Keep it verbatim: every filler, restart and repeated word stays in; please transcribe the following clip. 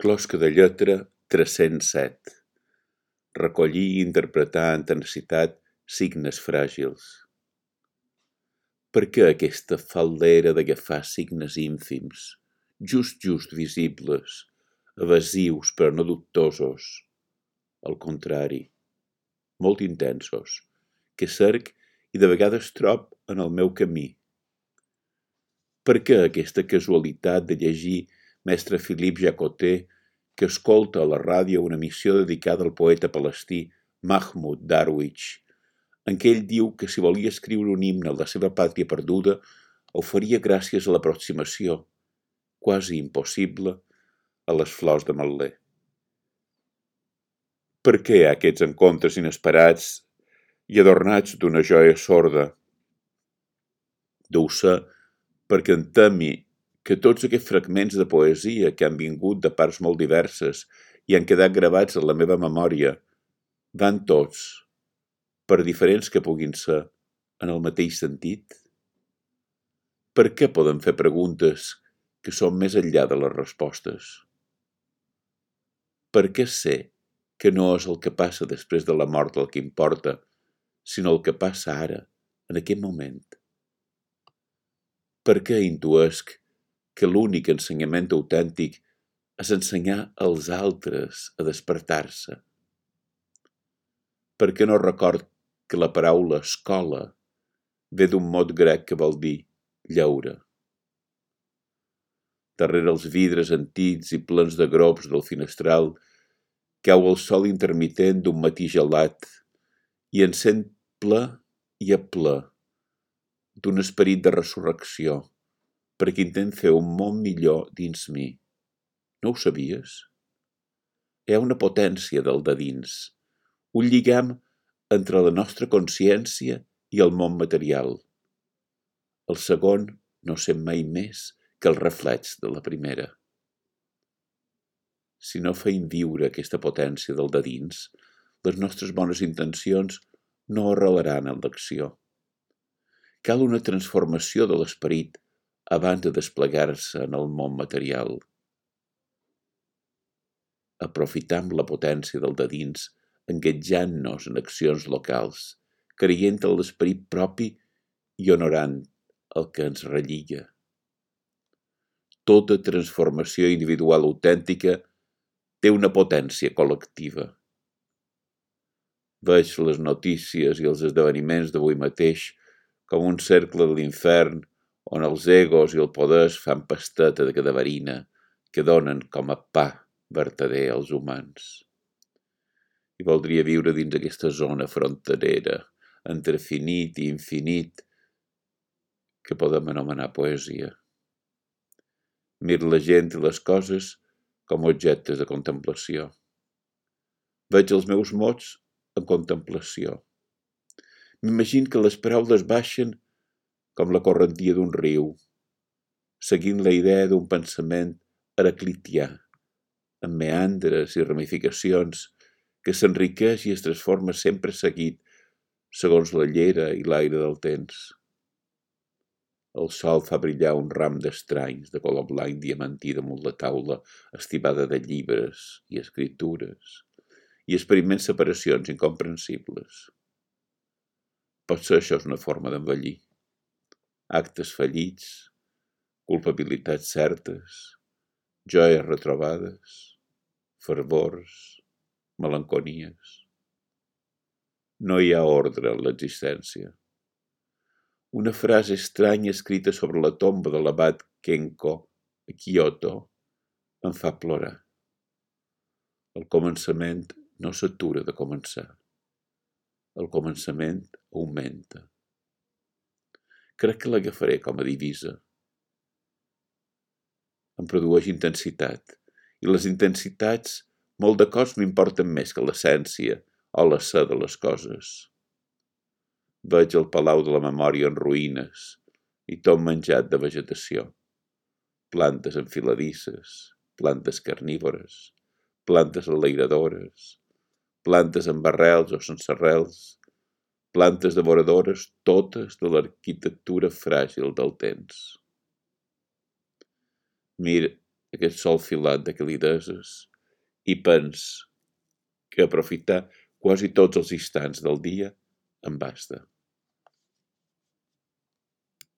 Closca de lletra tres-cents set. Recollir i interpretar amb tenacitat signes fràgils. Per què aquesta faldera d'agafar signes ínfims, just just visibles, evasius però no dubtosos? Al contrari, molt intensos, que cerc i de vegades trob en el meu camí. Per què aquesta casualitat de llegir mestre Philippe Jacotet, que escolta a la ràdio una emissió dedicada al poeta palestí Mahmoud Darwish, en què ell diu que si volia escriure un himne a la seva pàtria perduda, ho faria gràcies a l'aproximació, quasi impossible, a les flors de Mal·lé. Per què aquests encontres inesperats i adornats d'una joia sorda? Deu ser perquè em temi que tots aquests fragments de poesia que han vingut de parts molt diverses i han quedat gravats en la meva memòria van tots, per diferents que puguin ser, en el mateix sentit? Per què podem fer preguntes que són més enllà de les respostes? Per què sé que no és el que passa després de la mort el que importa, sinó el que passa ara, en aquest moment? Per què intuesc que l'únic ensenyament autèntic és ensenyar als altres a despertar-se? Per què no record que la paraula escola ve d'un mot grec que vol dir lleure? Darrere els vidres antics i plens de grops del finestral cau el sol intermitent d'un matí gelat i encén ple i a ple d'un esperit de resurrecció, perquè intent fer un món millor dins mi. No ho sabies? Hi ha una potència del de dins, un lligam entre la nostra consciència i el món material. El segon no sent mai més que el reflex de la primera. Si no feim viure aquesta potència del de dins, les nostres bones intencions no arrelaran en l'acció. Cal una transformació de l'esperit abans de desplegar-se en el món material. Aprofitam la potència del de dins, enguetjant-nos en accions locals, creient en l'esperit propi i honorant el que ens relliga. Tota transformació individual autèntica té una potència col·lectiva. Veig les notícies i els esdeveniments d'avui mateix com un cercle de l'infern on els egos i el poder fan pasteta de cadaverina que donen com a pa vertader als humans. I voldria viure dins aquesta zona fronterera entre finit i infinit que podem anomenar poesia. Mir la gent i les coses com objectes de contemplació. Veig els meus mots en contemplació. M'imagino que les paraules baixen com la correntia d'un riu, seguint la idea d'un pensament heraclitià, amb meandres i ramificacions que s'enriqueix i es transforma sempre seguit segons la llera i l'aire del temps. El sol fa brillar un ram d'estranys de color blanc diamantí damunt la taula estibada de llibres i escritures i experiments separacions incomprensibles. Potser això és una forma d'envellir. Actes fallits, culpabilitats certes, joies retrobades, fervors, melanconies. No hi ha ordre en l'existència. Una frase estranya escrita sobre la tomba de l'abat Kenko a Kyoto em fa plorar. El començament no s'atura de començar. El començament augmenta. Crec que l'agafaré com a divisa. Em produeix intensitat, i les intensitats molt de cops m'importen més que l'essència o la ser de les coses. Veig el palau de la memòria en ruïnes i tot menjat de vegetació. Plantes enfiladisses, plantes carnívores, plantes enlairadores, plantes amb arrels o sense arrels, plantes devoradores, totes de l'arquitectura fràgil del temps. Mir aquest sol filat de calideses i pens que aprofitar quasi tots els instants del dia em basta.